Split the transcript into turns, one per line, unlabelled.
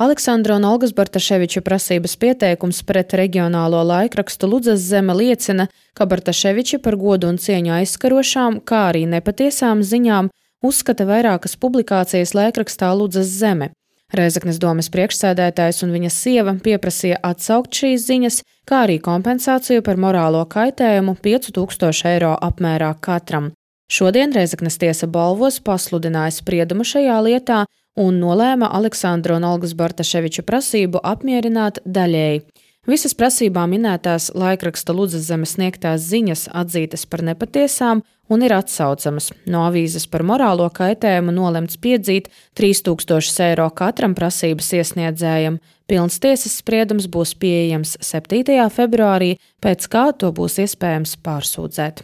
Aleksandra un Olgas Bartaševiča prasības pieteikums pret reģionālo laikrakstu Ludzas zeme liecina, ka Bartaševiči par godu un cieņu aizskarošām, kā arī nepatiesām ziņām uzskata vairākas publikācijas laikrakstā Ludzas zeme. Rēzeknes domes priekšsēdētājs un viņa sieva pieprasīja atsaukt šīs ziņas, kā arī kompensāciju par morālo kaitējumu 5000 eiro apmērā katram. Šodien Rēzeknes tiesa Balvos pasludināja spriedumu šajā lietā un nolēma Aleksandra un Olgas Bartaševiča prasību apmierināt daļēji. Visas prasībā minētās laikraksta Ludzas zeme sniegtās ziņas atzītas par nepatiesām un ir atsaucamas. No avīzes par morālo kaitējumu nolemts piedzīt 3000 eiro katram prasības iesniedzējam. Pilns tiesas spriedums būs pieejams 7. februārī, pēc kā to būs iespējams pārsūdzēt.